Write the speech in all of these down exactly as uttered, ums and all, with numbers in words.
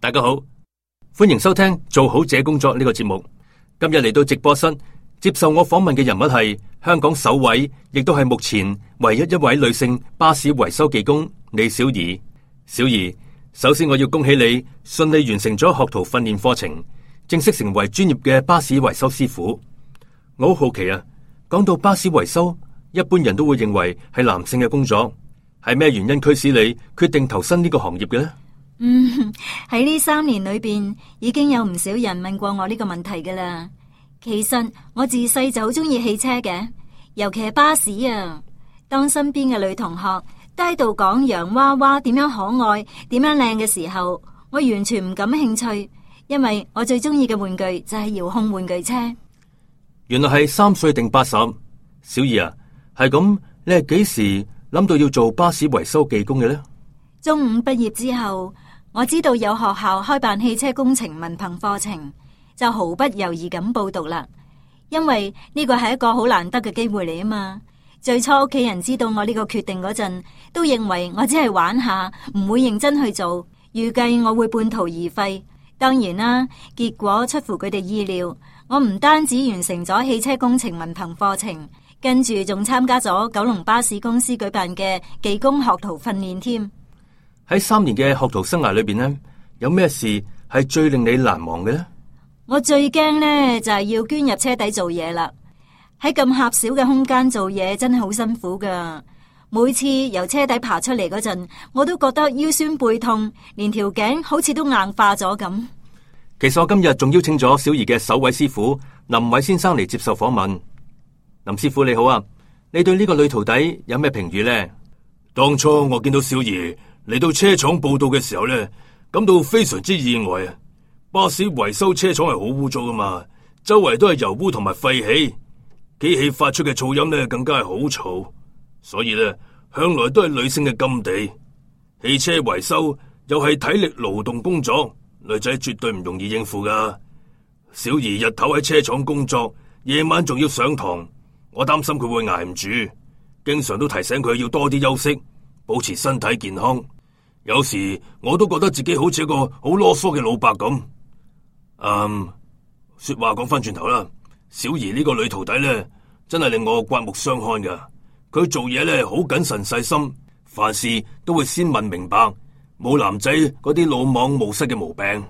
大家好，歡迎收聽做好這工作呢個節目。今日嚟到直播室接受我訪問嘅人物係香港首位，亦都係目前唯一一位女性巴士維修技工李小儀。小儀，首先我要恭喜你順利完成咗學徒訓練課程，正式成為專業嘅巴士維修師傅。我好好奇啊，講到巴士維修，一般人都會認為係男性嘅工作，係咩原因驅使你決定投身呢個行業嘅呢？嗯，喺呢三年裏邊，已經有唔少人問過我呢個問題噶啦。其實我自細就好中意汽車嘅，尤其係巴士啊。當身邊嘅女同學都喺度講洋娃娃點樣可愛、點樣靚嘅時候，我完全唔感興趣，因為我最中意嘅玩具就係遙控玩具車。原來係三歲定八十，小儀啊，係咁，你係幾時諗到要做巴士維修技工嘅呢？中五畢業之後，我知道有學校開辦汽車工程文憑課程，就毫不猶豫咁報讀啦。因為呢個係一個好難得嘅機會嚟啊嘛。最初屋企人知道我呢個決定嗰陣，都認為我只係玩下，唔會認真去做，預計我會半途而廢。當然啦，結果出乎佢哋意料，我唔單止完成咗汽車工程文憑課程，跟住仲參加咗九龍巴士公司舉辦嘅技工學徒訓練添。喺三年嘅學徒生涯裏邊呢，有咩事係最令你難忘嘅呢？我最驚呢就係要捐入車底做嘢啦。喺咁狹小嘅空間做嘢真係好辛苦噶。每次由車底爬出嚟嗰陣，我都覺得腰酸背痛，連條頸好似都硬化咗咁。其實我今日仲邀請咗小儀嘅首位師傅林偉先生嚟接受訪問。林師傅你好啊，你對呢個女徒弟有咩評語呢？當初我見到小儀嚟到車廠報到嘅時候咧，感到非常之意外啊！巴士維修車廠係好污糟噶嘛，周圍都係油污同埋廢氣，機器發出嘅噪音咧更加係好嘈，所以咧向來都係女性嘅禁地。汽車維修又係體力勞動工作，女仔絕對唔容易應付噶。小儀日頭喺車廠工作，夜晚仲要上堂，我擔心佢會挨唔住，經常都提醒佢要多啲休息，保持身體健康。有時我都覺得自己好似一個好囉嗦嘅老伯咁。嗯，說話講翻轉頭啦，小儀呢個女徒弟咧，真係令我刮目相看噶。佢做嘢咧好謹慎細心，凡事都會先問明白，冇男仔嗰啲魯莽冒失嘅毛病。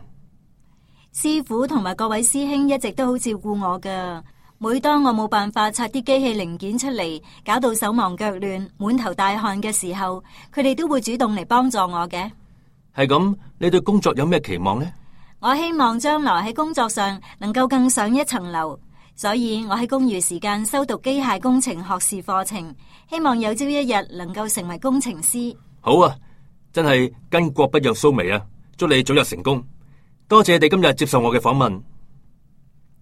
師傅同埋各位師兄一直都好照顧我噶。每當我冇辦法拆啲機器零件出嚟，搞到手忙腳亂、滿頭大汗嘅時候，佢哋都會主動嚟幫助我嘅。係咁，你對工作有咩期望呢？我希望將來喺工作上能夠更上一層樓，所以我喺公餘時間修讀機械工程學士課程，希望有朝一日能夠成為工程師。好啊，真係巾幗不讓鬚眉啊！祝你早日成功。多謝你今日接受我嘅訪問。